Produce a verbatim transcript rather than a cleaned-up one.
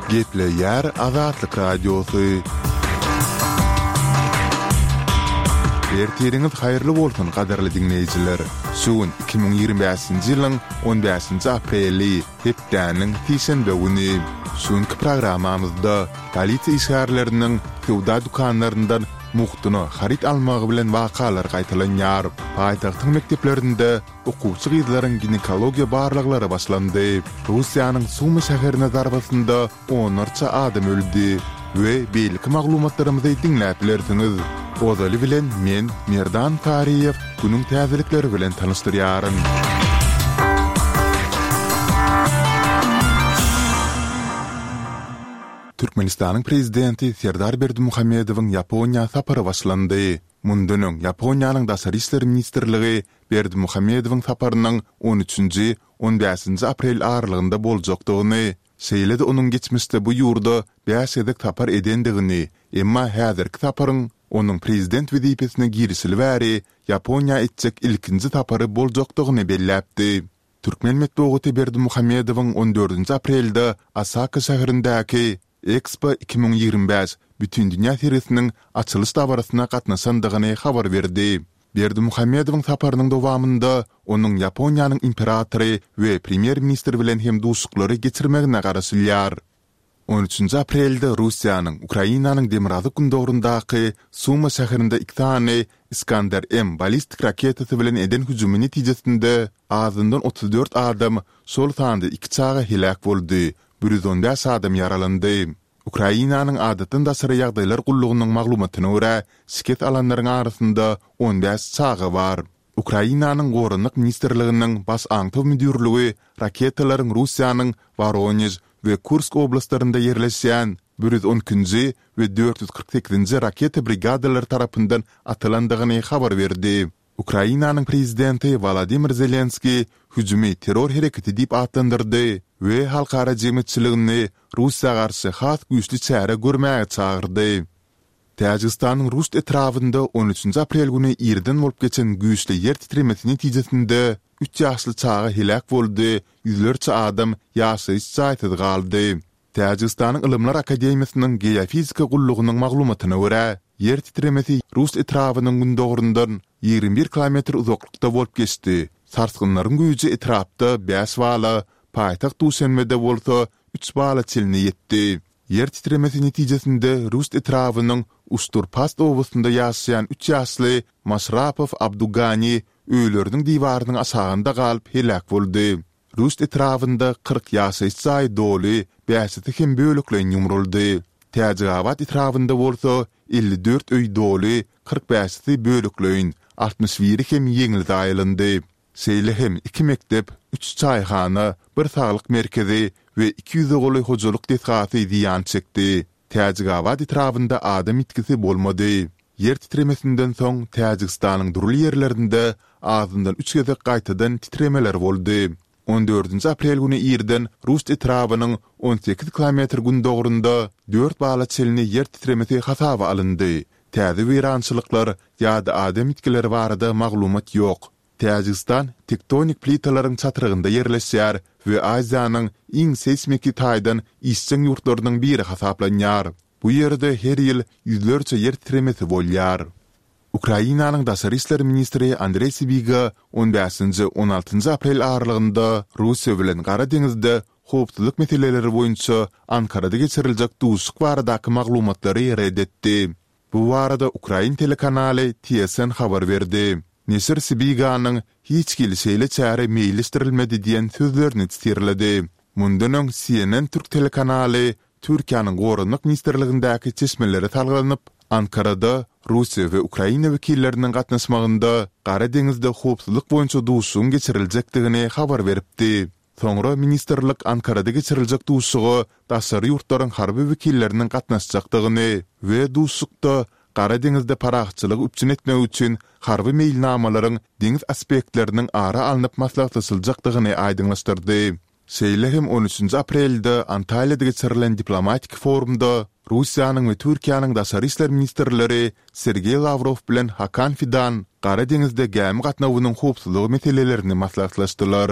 Gepleýär Azatlyk Radiosy. Ertiriňiz haýyrly bolsun, gadyrly diňleýjiler! Şu gün iki müň ýigrimi bäşinji ýylyň on bäşinji apreli, hepdäniň sişenbe güni. Şu günki programmamyzda polisiýa işgärleriniň söwda dükanlaryndan mugtuna haryt almagy bilen wakalar gaýtalanýar. Paýtagtyň mekdeplerinde Okuwçy gyzlaryň ginekologiýa barlaglary başlandy. Russiýanyň Sumy şäherine zarbasynda onlarça adam öldi we beýleki maglumatlarymyzy diňläp bilersiňiz. Ozaly bilen men, Merdan Taryýew, günüň täzelikleri bilen tanyşdyrýaryn. Türkmenistanyň Prezidenti Serdar Berdimuhamedowyň Ýaponiýa sapary başlandy. Mundan öň Ýaponiýanyň Daşary işler ministrligi Berdimuhamedowyň saparynyň on üçünji, on bäşinji aprel aralygynda boljakdygyny, şeýle-de onuň geçmişde bu ýurda bäş gezek sapar edendigini, emma häzirki saparyň onuň prezident wezipesine girişeli bäri Ýaponiýa etjek ilkinji sapary boljakdygyny belläpdi. Türkmen metbugaty Berdimuhamedowyň on dördünji aprelde Osaka şäherindäki Ekspo iki müň ýigrimi bäş Bütindünýä sergisiniň açylyş dabarasyna gatnaşandygyny habar berdi. Berdimuhamedowyň saparynyň dowamynda onuň Ýaponiýanyň imperatory we premýer-ministri bilen hem duşuşyklary geçirmegine garaşylýar. On üçünji aprelde Russiýanyň Ukrainanyň demirgazyk-gündogaryndaky Suma şäherinde iki sany Iskander-M ballistik raketasy bilen eden hüjümi netijesinde azyndan otuz dört adam, şol sanda iki çaga heläk boldy, bir ýüz on bäş adam ýaralandy. Ukrainanyň Adatdan daşary ýagdaýlar gullugynyň maglumatyna görä, şikes alanlaryň arasynda on bäş çaga bar. Ukrainanyň Goranmak ministrliginiň Baş aňtaw müdirligi raketalaryň Russiýanyň Woronež we Kursk oblastlarynda ýerleşýän bir ýüz on ikinji we dört ýüz kyrk sekizinji raketa brigadalary tarapyndan atylandygyny habar berdi. Ukrainanyň prezidenti Wolodymyr Zelenskiý hüjümi terror hereketi diýip atlandyrdy we halkara jemgyýetçiligini Russiýa garşy has güýçli çäre görmäge çagyrdy. Täjigistanyň Ruşt etrabynda on üçünji aprel güni irden bolup geçen güýçli ýer titremesi netijesinde üç ýaşly çaga heläk boldy, ýüzlerçe adam ýaşaýyş jaýsyz galdy. Täjigistanyň Ylymlar akademiýasynyň Geofizika gullugynyň maglumatyna görä, ýer titremesi Ruşt etrabynyň gündogaryndan ýigrimi bir kilometr uzaklykda bolup geçdi. Sarsgynlaryň güýji etrapda bäş bala, paýtagt Duşenbede bolsa üç bala çenli ýetdi. Ýer titremesi netijesinde Ruşt etrabynyň Uşturpast obasynda ýaşaýan üç ýaşly Maşrapow Abdugani öýleriniň diwarynyň aşagynda galyp heläk boldy. Ruşt etrabynda kyrk ýaşaýyş jaýy doly, bäşisi hem bölekleýin ýumruldy. Täjigabat etrabynda bolsa elli dört öý doly, kyrk bäşisi bölekleýin, altmyş biri hem ýeňil zaýalandy. Şeýle hem iki mekdep, üç çaýhana, bir saglyk merkezi we iki ýüze golaý hojalyk desgasy zyýan çekdi. Täjigabat etrabynda adam ýitgisi bolmady. Ýer titremesinden soň Täjigistanyň dürli ýerlerinde azyndan üç gezek gaýtadan titremeler boldy. On dördünji aprel güni irden Rust etrabynyň on sekiz kilometr gündogarynda dört bala çenli ýer titremesi hasaba alyndy. Täze weýrançylyklar ýa-da adam ýitgileri barada maglumat ýok. Täjigistan tektonik plitalaryň çatrygynda ýerleşýär we Aziýanyň iň seýsmiki taýdan işjeň ýurtlarynyň biri hasaplanýar. Bu ýerde her ýyl ýüzlerçe ýer titremesi bolýar. Ukrainanyň daşary işler ministri Andreý Sibiga on bäşinji, on altynjy aprel aralygynda Russiýa bilen Gara deňizde howpsuzlyk meseleleri boýunça Ankarada geçiriljek duşuşyk baradaky maglumatlary ret etdi. Bu barada ukrain telekanaly TSN habar berdi. Neşir Sibiganyň Hiç hili şeýle çäre meýilleşdirilmedi diýen sözlerini sitirledi. Mundan öň CNN türk telekanaly Türkiýäniň Goranmak ministrligindäki çeşmelere salgylanyp, Ankarada Russiýa we Ukraina wekilleriniň gatnaşmagynda Gara deňizde howpsuzlyk boýunça duşuşygyň geçiriljekdigini habar beripdi. Soňra ministrlik Ankarada geçiriljek duşuşyga daşary ýurtlaryň harby wekilleriniň gatnaşjakdygyny we duşuşykda Gara deňizde parahatçylygy üpjün etmek üçin harby meýilnamalaryň deňiz aspektleriniň ara alnyp maslahatlaşyljakdygyny aýdyňlaşdyrdy. Şeýle hem on üçünji aprelde Antalýada geçirilen diplomatik forumda Russiýanyň we Türkiýäniň daşary işler ministrleri Sergeý Lawrow bilen Hakan Fidan Gara deňizde gämi gatnawynyň howpsuzlygy meselelerini maslahatlaşdylar.